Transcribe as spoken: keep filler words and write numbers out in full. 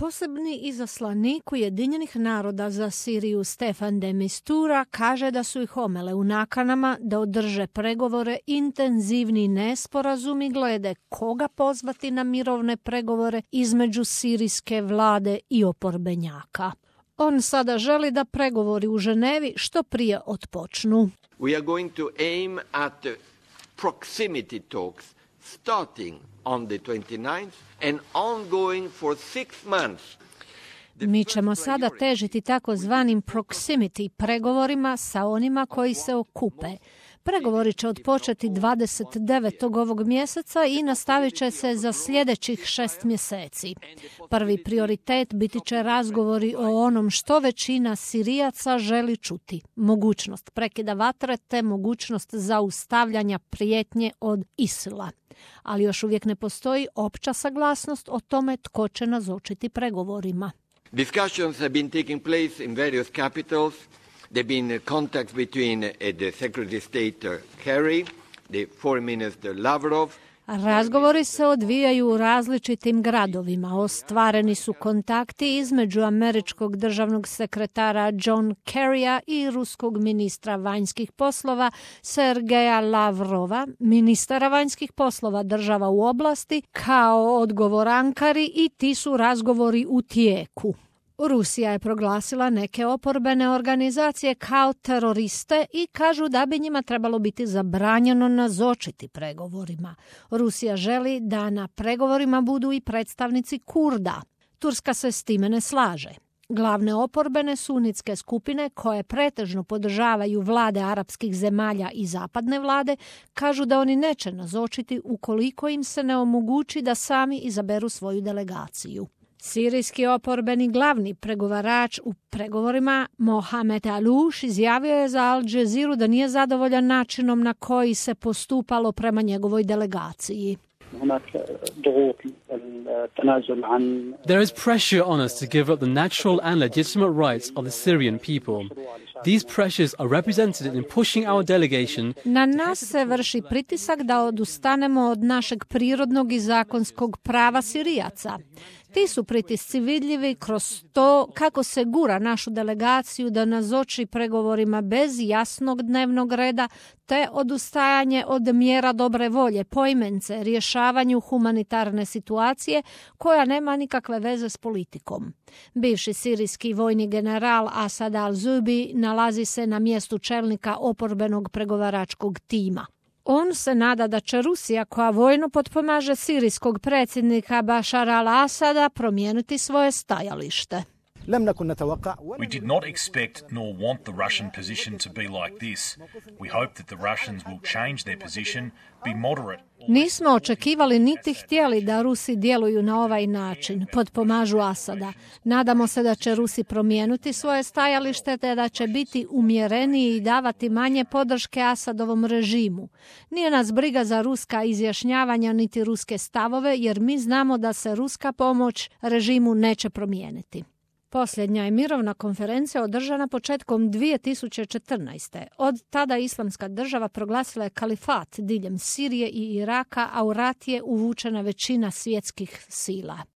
Posebni izaslanik Ujedinjenih naroda za Siriju Stefan de Mistura kaže da su ih omele u nakanama da održe pregovore intenzivni nesporazumi glede koga pozvati na mirovne pregovore između sirijske vlade i oporbenjaka. On sada želi da pregovori u Ženevi što prije otpočnu. We are going to aim at the proximity talks starting on the twenty-ninth and ongoing for six months. Mi ćemo sada težiti takozvanim proximity pregovorima sa onima koji se okupe. Pregovori će odpočeti dvadeset devetog ovog mjeseca i nastavit će se za sljedećih šest mjeseci. Prvi prioritet biti će razgovori o onom što većina Sirijaca želi čuti. Mogućnost prekida vatre te mogućnost zaustavljanja prijetnje od Isila. Ali još uvijek ne postoji opća saglasnost o tome tko će nazočiti pregovorima. Discussions have been taking place in various capitals. There have been contacts between uh, the Secretary of State uh, Kerry, the Foreign Minister Lavrov. Razgovori se odvijaju u različitim gradovima. Ostvareni su kontakti između američkog državnog sekretara John Kerrya i ruskog ministra vanjskih poslova Sergeja Lavrova, ministara vanjskih poslova država u oblasti, kao odgovor Ankari, i ti su razgovori u tijeku. Rusija je proglasila neke oporbene organizacije kao teroriste i kažu da bi njima trebalo biti zabranjeno nazočiti pregovorima. Rusija želi da na pregovorima budu i predstavnici Kurda. Turska se s time ne slaže. Glavne oporbene sunitske skupine koje pretežno podržavaju vlade arapskih zemalja i zapadne vlade kažu da oni neće nazočiti ukoliko im se ne omogući da sami izaberu svoju delegaciju. Sirijski oporbeni glavni pregovarač u pregovorima Mohamed Aloush izjavio je za Al Jazeera da nije zadovoljan načinom na koji se postupalo prema njegovoj delegaciji. There is pressure on us to give up the natural and legitimate rights of the Syrian people. These pressures are represented in pushing our delegation. Na nas se vrši pritisak da odustanemo od našeg prirodnog i zakonskog prava Sirijaca. Ti su pritisci vidljivi kroz to kako se gura našu delegaciju da nazoči pregovorima bez jasnog dnevnog reda te odustajanje od mjera dobre volje, poimence rješavanju humanitarne situacije koja nema nikakve veze s politikom. Bivši sirijski vojni general Asad al-Zubi nalazi se na mjestu čelnika oporbenog pregovaračkog tima. On se nada da će Rusija, koja vojno potpomaže sirijskog predsjednika Bašara al-Asada, promijeniti svoje stajalište. We did not expect nor want the Russian position to be like this. We hope that the Russians will change their position, be moderate. Nismo očekivali niti htjeli da Rusi djeluju na ovaj način, potpomažu Asada. Nadamo se da će Rusi promijeniti svoje stajalište te da će biti umjereniji i davati manje podrške Asadovom režimu. Nije nas briga za ruska izjašnjavanja niti ruske stavove, jer mi znamo da se ruska pomoć režimu neće promijeniti. Posljednja je mirovna konferencija održana početkom dvije tisuće četrnaeste. Od tada Islamska država proglasila je kalifat diljem Sirije i Iraka, a u rat je uvučena većina svjetskih sila.